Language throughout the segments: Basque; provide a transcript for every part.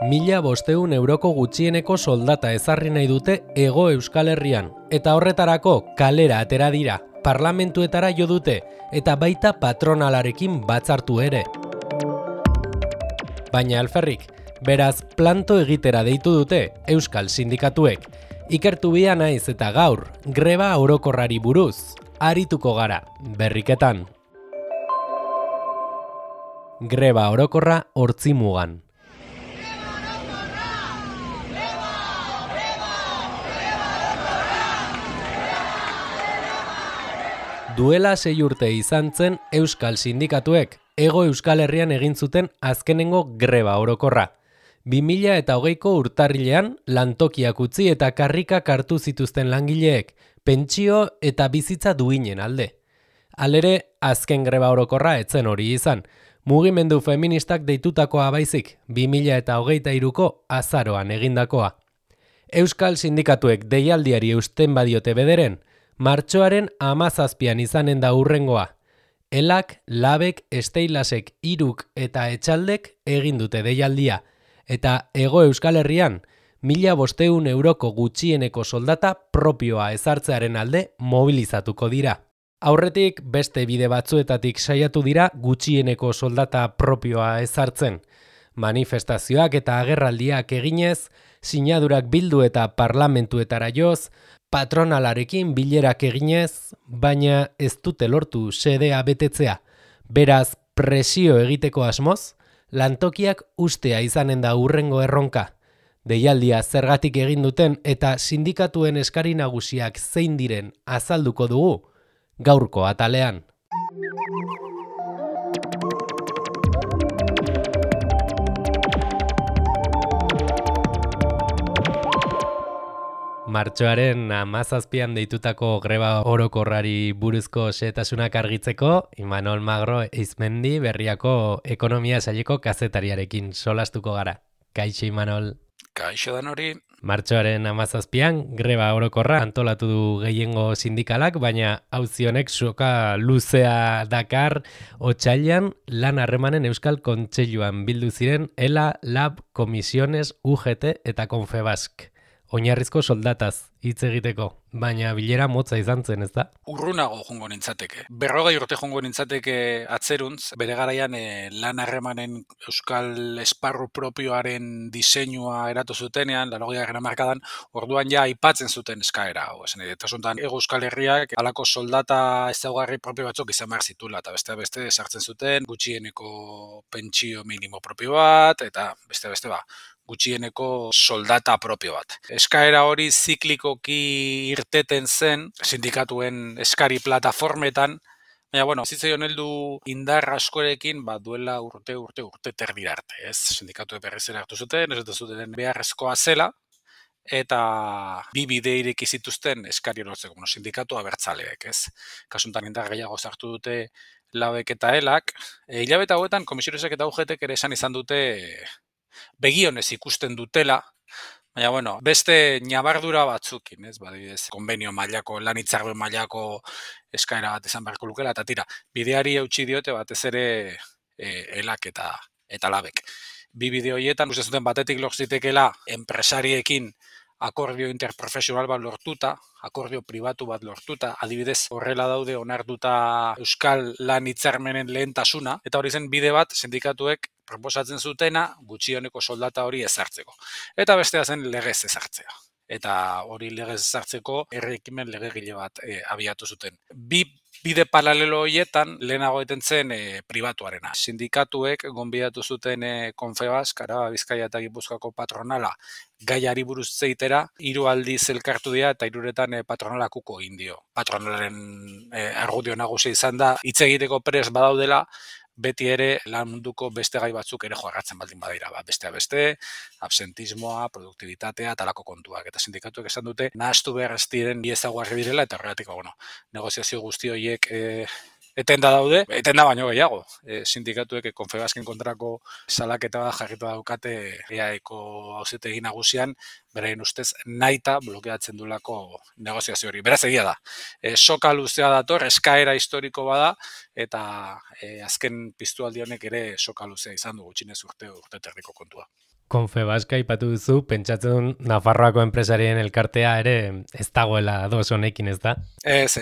€1.500 gutxieneko soldata ezarri nahi dute Hego Euskal Herrian, eta horretarako kalera atera dira, parlamentuetara jo dute, eta baita patronalarekin batzartu ere. Baina alferrik, beraz planto egitera deitu dute Euskal Sindikatuek. Ikertu bia naiz eta gaur, greba orokorrari buruz, arituko gara, berriketan. Greba orokorra Ortzimugan. Duela 6 urte izan zen Euskal Sindikatuek Hego Euskal Herrian egin zuten azkenengo greba orokorra. 2020ko urtarrilean lantokiak utzi eta karrikak hartu zituzten langileek, pentsio eta bizitza duinen alde. Halere, azken greba orokorra etzen hori izan. Mugimendu feministak deitutakoa baizik, 2023ko azaroan egindakoa. Euskal Sindikatuek deialdiari eusten badiote bederen, martxoaren 17an izanen da hurrengoa. Elak, Labek, Esteilasek, Iruk eta Etxaldek egin dute deialdia, eta Hego Euskal Herrian €1.500 gutxieneko soldata propioa ezartzearen alde mobilizatuko dira. Aurretik beste bide batzuetatik saiatu dira gutxieneko soldata propioa ezartzen. Manifestazioak eta agerraldiak eginez, sinadurak bildu eta parlamentuetara joz, patronalarekin bilerak eginez, baina ez dute lortu xedea betetzea. Beraz, presio egiteko asmoz, lantokiak ustea izanen da hurrengo erronka. Deialdia zergatik egin duten eta sindikatuen eskari nagusiak zein diren azalduko dugu, gaurko atalean. Martxoaren 17an deitutako greba orokorrari buruzko xehetasunak argitzeko, Imanol Magro Eizmendi Berriako ekonomia saileko kazetariarekin solastuko gara. Kaixo Imanol. Kaixo dan hori. Martxoaren 17an greba orokorra antolatu du gehiengo sindikalak, baina auzi honek soka luzea dakar otsailean lan harremanen Euskal Kontseiluan bildu ziren ELA, LAB, Komisiones, UGT eta Confebask. Oinarrizko soldataz hitz egiteko, baina bilera motza izan zen, ez da? Urrunago jongo nintzateke. 40 urte jongo nintzateke atzeruntz, bere garaian lan harremanen Euskal esparru propioaren diseinua eratu zutenean, 80 hamarkadan, orduan ja aipatzen zuten eskaera hau. Esan eta zontan Hego Euskal Herriak halako soldata ezaugarri propio batzuk izan behar zitula, eta beste sartzen zuten gutxieneko pentsio minimo propio bat, eta beste gutxieneko soldata propio bat. Eskaera hori ziklikoki irteten zen sindikatuen eskari plataformetan, baina, zitzaion heldu indar askorekin, duela urte terdira arte, ez? Sindikatuek berrizera hartu zuten, ez zuten beharrezkoa zela, eta bi bide ireki zituzten eskari lortzeko, sindikatu abertzaleek, ez? Kasuntan indar gehiago sartu dute Labek eta Elak, hilabete hauetan Komisionesek eta UGTek ere esan izan dute begionez ikusten dutela, baina, beste ñabardura batzukin, ez? Badibidez, konbenio mailako, lan hitzarmen mailako eskaera bat izan beharko lukela, eta tira, bideari eutsi diote batez ere Elak eta Labek. Bi bide horietan, uste zuten batetik lor zitekeela enpresariekin akordio interprofesional bat lortuta, akordio pribatu bat lortuta, adibidez horrela daude onartuta Euskal lan hitzarmenen lehentasuna, eta hori zen bide bat sindikatuek proposatzen zutena gutxieneko soldata hori ezartzeko. Eta bestea zen legez ezartzea. Eta hori legez ezartzeko herri-ekimen legegile bat abiatu zuten. Bi bide paralelo horietan lehenago eten zen pribatuarena. Sindikatuek gonbidatu zuten Confebask, Araba, Bizkaia eta Gipuzkoako patronala gaiari buruz zeitera, 3 aldiz elkartu dira eta 3etan patronalak uko egin dio. Patronalen argudio nagusia izan da, hitz egiteko prest badaudela, beti ere lan munduko beste gai batzuk ere joarratzen baldin badira, beste, absentismoa, produktibitatea, talako kontuak. Eta sindikatuek esan dute, nahastu behar ez diren bi ezaugarri direla, eta horregatik, negoziazio guzti horiek etenda daude, etenda baino gehiago. Sindikatuek Confebasken kontrako salaketa bat jarritu daukate EAEko auzitegi nagusian, beraien ustez nahita blokeatzen dulako negoziazio hori. Beraz egia da. Soka luzea dator, eskaera historiko bada, eta azken piztualdi honek ere soka luzea izan du gutxinez urte terdiko kontua. Confebask aipatu duzu, pentsatzen Nafarroako enpresarien elkartea ere ez dagoela ados honekin, ez da? Ez.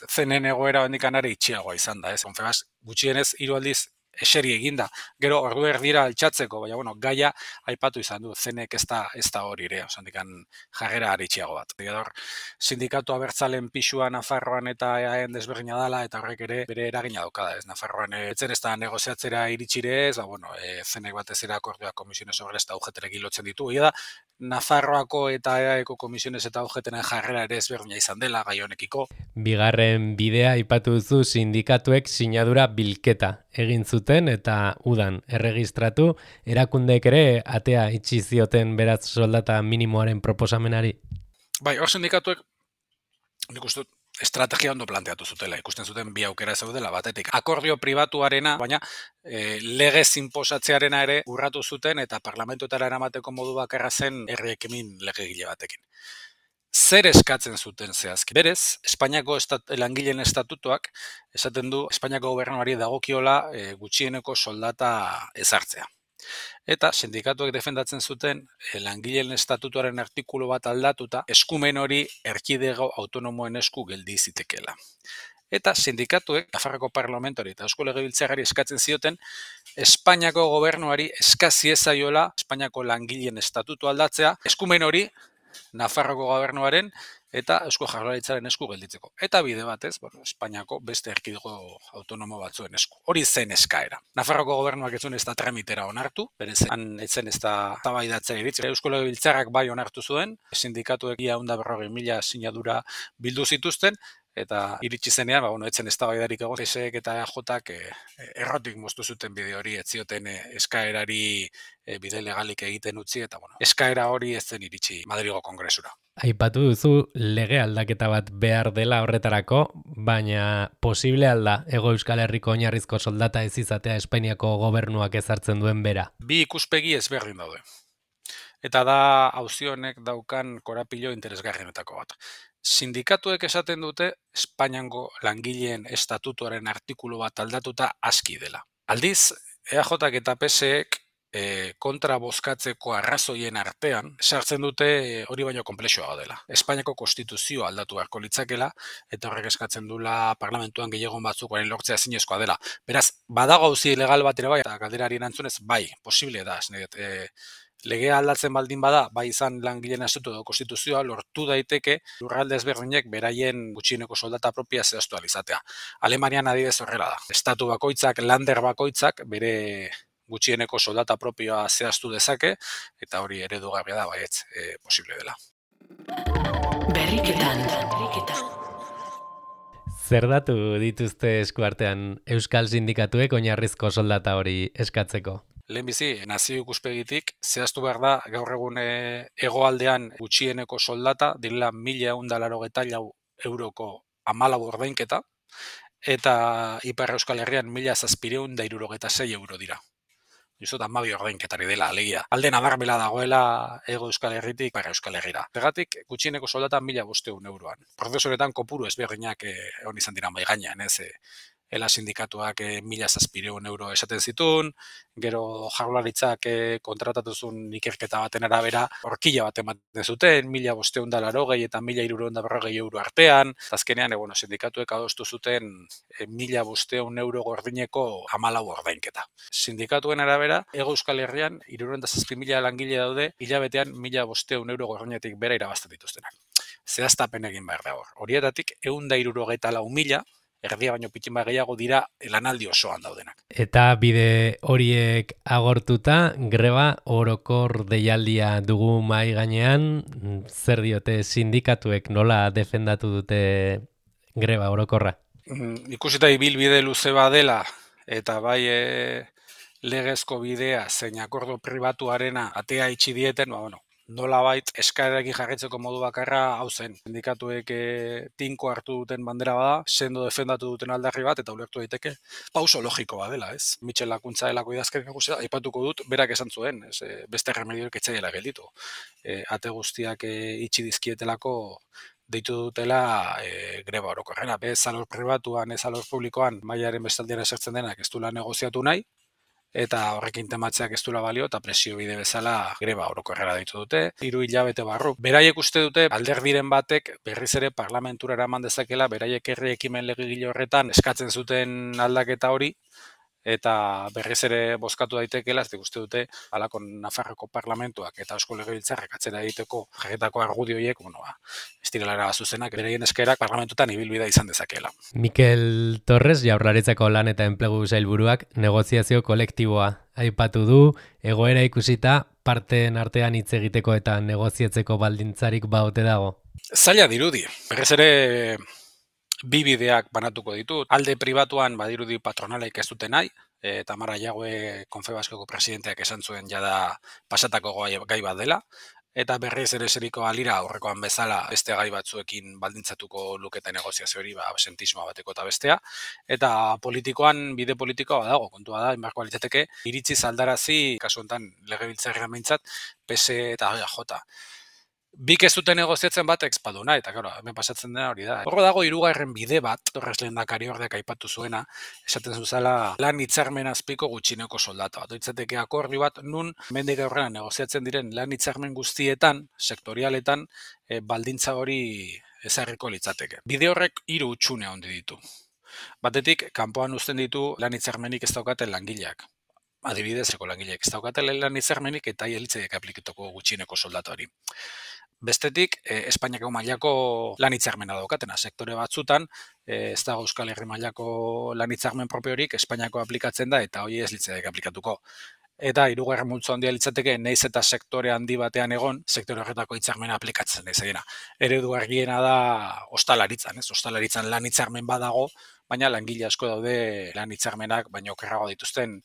Zenen egoera hondikanare itxiagoa izan da, ez? Confebask gutxienez 3 aldiz eseri eginda. Gero ordu erdira altxatzeko, baina bueno, gaia aipatu izan du, zenek ez da hori ere, osandikan jarrera aritxiago bat. Gero sindikatu abertzalen pisua Nafarroan eta EAen desberdina dala, eta horrek ere bere eragina daukada, ez? Nafarroan etzen ez da negoziatzera iritsire ez, bueno, zenek batez ere akordioa komisiones obreras eta UGT-rekin lotzen ditu. Egia da, Nafarroako eta EAeko komisiones eta UGT-ren jarrera ere ezberdina izan dela gai honekiko. Bigarren bidea aipatu duzu sindikatuek sinadura bilketa egin zuten eta udan erregistratu, erakundeek ere atea itxi zioten beraz soldata minimoaren proposamenari. Bai, hor sindikatuek nik uste dut estrategia ondo planteatu zutela, ikusten zuten bi aukera zeudela batetik. Akordio pribatuarena, baina legez inposatzearena ere urratu zuten eta parlamentuetara eramateko modu bakarra zen herri ekimen legegile batekin. Zer eskatzen zuten zehazki? Berez, Espainiako langileen estatutuak esaten du Espainiako gobernuari dagokiola gutxieneko soldata ezartzea. Eta sindikatuek defendatzen zuten langileen estatutuaren artikulu bat aldatuta eskumen hori erkidego autonomoen esku geldi zitekeela. Eta sindikatuek Nafarroko parlamentuari eta Eusko Legebiltzarrari eskatzen zioten Espainiako gobernuari eskasi ezaiola Espainiako langileen estatutu aldatzea, eskumen hori Nafarroko gobernuaren eta Eusko Jaurlaritzaren esku gelditzeko. Eta bide batez, Espainiako beste erkidego autonomo batzuen esku. Hori zen eskaera. Nafarroko gobernuak ez zuen ez da tramitera onartu, berez etzen ez da tabaidatzen iritsi. Eusko Legebiltzarrak bai onartu zuen, sindikatuek 140.000 sinadura bildu zituzten, eta iritsi zenean, etzen eztabaidarik egon, PSek eta EAJak errotik moztu zuten bide hori, ez zioten eskaerari bide legalik egiten utzi, eta eskaera hori ez zen iritsi Madrigo Kongresura. Aipatu duzu lege aldaketa bat behar dela horretarako, baina posible alda Hego Euskal Herriko oinarrizko soldata ez izatea Espainiako gobernuak ezartzen duen bera? Bi ikuspegi ezberdin daude. Eta da auzi honek daukan korapilo interesgarrienetako bat. Sindikatuek esaten dute Espainiako langileen estatutuaren artikulu bat aldatuta aski dela. Aldiz, EAJak eta PSek kontra bozkatzeko arrazoien artean, sartzen dute hori baino konplexua dela. Espainiako konstituzioa aldatu beharko litzakela, eta horrek eskatzen dula parlamentuan gehiagon batzukoaren lortzea ezinezkoa dela. Beraz, badago auzi legal bat ere bai, eta galderari erantzunez, bai, posible da, legea aldatzen baldin bada, bai izan langileen estatutu edo konstituzioa, lortu daiteke lurralde ezberdinek beraien gutxieneko soldata propia zehaztu alizatea. Alemanian adibidez horrela da. Estatu bakoitzak, lander bakoitzak, bere gutxieneko soldata propioa zehaztu dezake, eta hori eredugarria da, baietz, posible dela. Berriketan. Zer datu dituzte eskuartean Euskal Sindikatuek oinarrizko soldata hori eskatzeko? Lehenbizi, nazio ikuspegitik, zehaztu behar da, gaur egun hegoaldean gutxieneko soldata, direla 1.184 euroko 14 ordainketa, eta Ipar Euskal Herrian 1.776 euro dira. Justot 12 ordainketari dela, alegia. Alde nabarmela dagoela Hego Euskal Herritik Ipar Euskal Herrira. Pegatik, gutxieneko soldata 1.500 euroan. Prozesoretan kopuru ezberdinak hon izan dira mai gainean, ez? Ela sindikatuak 1.700 euro esaten zituen, gero Jaurlaritzak kontratatuzun ikerketa baten arabera horkila bat ematen zuten, 1.580 eta 1.340 euro artean, azkenean sindikatuek adostu zuten 1.500 euro gordineko 14 ordainketa. Sindikatuen arabera, Hego Euskal Herrian 67.000 langile daude, hilabetean 1.500 euro gordinetik bera irabazten dituztenak. Zehaztapen egin behar da hor. Horietatik 164.000 erdia baino pitin bat gehiago dira lanaldi osoan daudenak. Eta bide horiek agortuta, greba orokor deialdia dugu mai gainean, zer diote sindikatuek nola defendatu dute greba orokorra? Ikusita ibilbide luze badela, eta bai legezko bidea zein akordo pribatuarena atea itxi dieten, nolabait eskaerarekin jarraitzeko modu bakarra hau zen. Sindikatuek tinko hartu duten bandera bada, sendo defendatu duten aldarri bat, eta ulertu daiteke pauso logiko badela, ez? Mitxel Lakuntza delako idazkari nagusia, aipatuko dut, berak esan zuen, beste remedioek etzaiela gelditu. Ate guztiak itxi dizkietelako deitu dutela greba orokorrena. Ez alor pribatuan, ez alor publikoan, mailaren bestaldian esertzen denak ez duela negoziatu nahi, eta horrekin tematzeak ez duela balio, eta presio bide bezala greba orokorrera deitu dute. 3 hilabete barru. Beraiek uste dute alderdiren batek berriz ere parlamentura eraman dezakela, beraiek herri ekimen legegile horretan eskatzen zuten aldaketa hori, eta berriz ere bozkatu daitekeela, ez uste dute halako Nafarroko parlamentuak eta Eusko Legebiltzarrak atzera egiteko jarritako argudio horiek, ez direla zuzenak, beraien eskerak parlamentutan ibilbidea izan dezakeela. Mikel Torres, Jaurlaritzako lan eta enplegu sailburuak, negoziazio kolektiboa aipatu du, egoera ikusita parteen artean hitz egiteko eta negoziatzeko baldintzarik baote dago. Zaila dirudi, berriz ere bi bideak banatuko ditut. Alde pribatuan badirudi patronalaik ez dute nahi, Tamara Jague Konfebaskoko presidenteak esan zuen jada pasatako gai bat dela, eta berriz ere zeriko alira aurrekoan bezala beste gai batzuekin baldintzatuko luketa negoziazio hori, absentismoa bateko eta bestea, eta politikoan, bide politikoa dago, kontua da, inbarko litzateke, iritzi zaldarazi, kasu honetan legebiltzarrean behintzat, PS eta EAJ. Bik ez dute negoziatzen batek espaduna, eta claro, hemen pasatzen dena hori da. Horro dago 3. bide bat, Torres lehendakari ordeak aipatu zuena, esaten zuzala lan hitzarmen azpiko gutxineko soldata bat. Itzateke akordi bat, nun mendik aurrera negoziatzen diren lan hitzarmen guztietan, sektorialetan, baldintza hori ezarriko litzateke. Bide horrek 3 hutsune handi ditu. Batetik, kanpoan uzten ditu lan hitzarmenik ez daukaten langileak. Adibidezeko langileak ez daukaten lan hitzarmenik eta hielitzaiek aplikatuko gutxineko soldata hori. Bestetik, Espainiako mailako lan hitzarmena daukatena, sektore batzutan, ez dago Euskal Herri mailako lan hitzarmen propiorik, Espainiako aplikatzen da eta hori ez litzaiek aplikatuko. Eta 3. multzo handia litzateke, naiz eta sektore handi batean egon, sektore horretako hitzarmena aplikatzen ez dena. Eredu argiena da ostalaritzan, ostalaritzan lan hitzarmen badago, baina langile asko daude lan hitzarmenak baino okerrago dituzten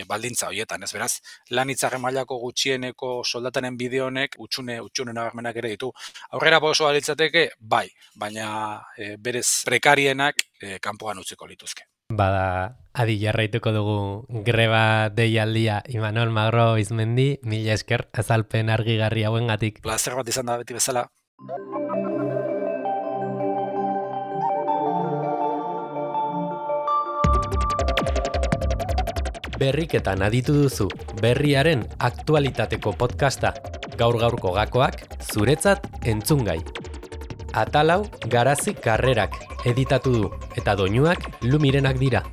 baldintza horietan, ez beraz, lan hitzarmen mailako gutxieneko soldataren bide honek hutsune nabarmenak ere ditu. Aurrera pausoa litzateke, bai, baina berez prekarienak kanpoan utziko lituzke. Bada, adi jarraituko dugu greba deialdia Imanol Magro Izmendi, mila esker azalpen argigarri hauengatik. Plazer bat izan da beti bezala. Berriketan aditu duzu, berriaren aktualitateko podcasta, gaur-gaurko gakoak, zuretzat entzungai. Atalau Garazi Karrerak editatu du, eta doinuak Lumirenak dira.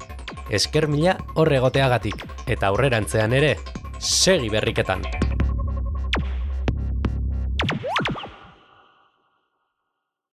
Esker mila hor egoteagatik, eta aurrerantzean ere, segi berriketan!